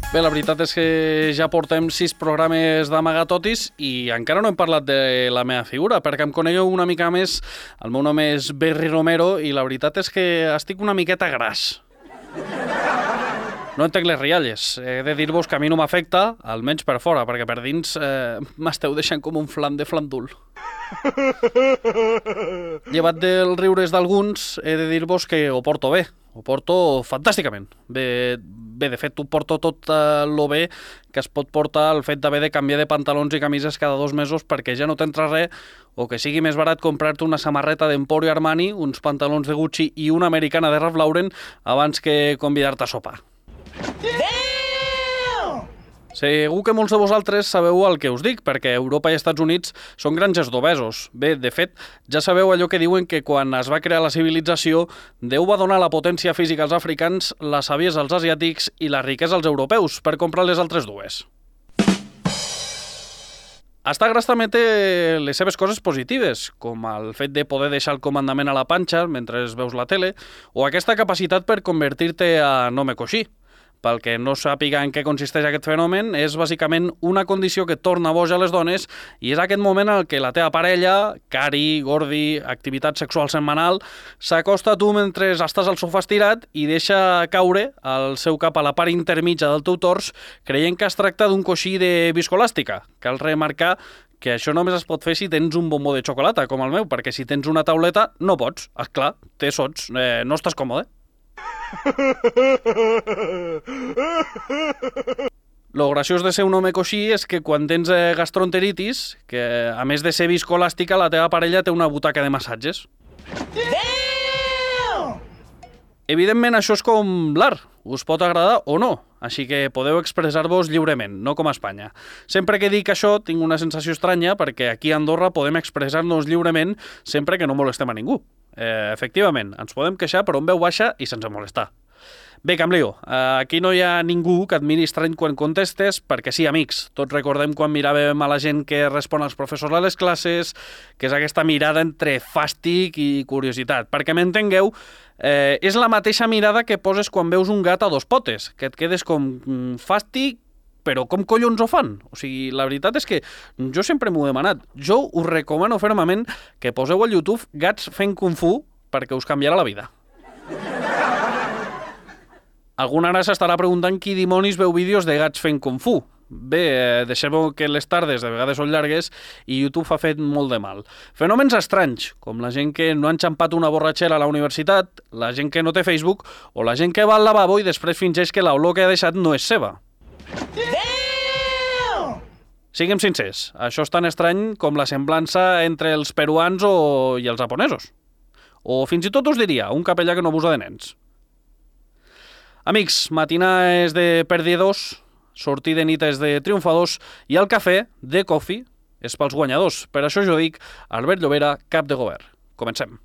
Bé, la veritat és que ja portem 6 programes d'Amagatotis i encara no hem parlat de la meva figura, perquè em conegueu una mica més. El meu nom és Berri Romero i la veritat és que estic una miqueta gras. No entenc les rialles. He de dir-vos que a mi no m'afecta, almenys per fora, perquè per dins m'esteu deixant com un flam de flandul. Llevat dels riures d'alguns, he de dir-vos que ho porto bé. Ho porto fantàsticament. Bé, de fet, ho porto tot lo bé que es pot portar el fet d'haver de canviar de pantalons i camises cada 2 mesos perquè ja no t'entra res, o que sigui més barat comprar-te una samarreta d'Emporio Armani, uns pantalons de Gucci i una americana de Ralph Lauren abans que convidar-te a sopar. Segur que molts de vosaltres sabeu el que us dic, perquè Europa i Estats Units són granges d'obesos. Bé, de fet, ja sabeu allò que diuen que quan es va crear la civilització, Déu va donar la potència física als africans, la saviesa als asiàtics i la riquesa als europeus, per comprar les altres dues. Estar gras també té les seves coses positives, com el fet de poder deixar el comandament a la panxa mentre veus la tele, o aquesta capacitat per convertir-te a nome coixí. Pel que no sàpiga en què consisteix aquest fenomen, és bàsicament una condició que torna boja a les dones i és aquest moment en què la teva parella, cari, gordi, activitat sexual setmanal, s'acosta a tu mentre estàs al sofà estirat i deixa caure el seu cap a la part intermitja del teu tors creient que es tracta d'un coixí de viscolàstica. Cal remarcar que això només es pot fer si tens un bombó de xocolata, com el meu, perquè si tens una tauleta no pots. Esclar, té sots, no estàs còmode. Lo graciós de ser un home coixí és que quan tens gastroenteritis, que a més de ser viscolàstica, la teva parella té una butaca de massatges. Evidentment, això és com l'art. Us pot agradar o no, així que podeu expressar-vos lliurement, no com a Espanya. Sempre que dic això tinc una sensació estranya perquè aquí a Andorra podem expressar-nos lliurement sempre que no molestem a ningú. Efectivament, ens podem queixar per on veu baixa i sense molestar. Bé, que em lio. Aquí no hi ha ningú que et miri estrany quan contestes, perquè sí, amics, tots recordem quan miràvem a la gent que respon als professors a les classes, que és aquesta mirada entre fàstic i curiositat. Perquè m'entengueu, és la mateixa mirada que poses quan veus un gat a 2 potes, que et quedes com fàstic, però com collons ho fan? O sigui, la veritat és que jo sempre m'ho he demanat. Jo us recomano fermament que poseu al YouTube gats fent Kung Fu perquè us canviarà la vida. Algun ara s'estarà preguntant qui dimonis veu vídeos de gats fent Kung Fu. Bé, deixeu que les tardes de vegades són llargues i YouTube ha fet molt de mal. Fenòmens estranys, com la gent que no ha enxampat una borratxera a la universitat, la gent que no té Facebook o la gent que va al lavabo i després fingeix que l'olor que ha deixat no és seva. Siguem sincers, això és tan estrany com la semblança entre els peruans i els japonesos. O fins i tot us diria, un capellà que no abusa de nens. Amics, matinar és de perdedors, sortir de nit és de triomfadors i el cafè, de coffee, és pels guanyadors. Per això jo dic Albert Llobera, cap de govern. Comencem.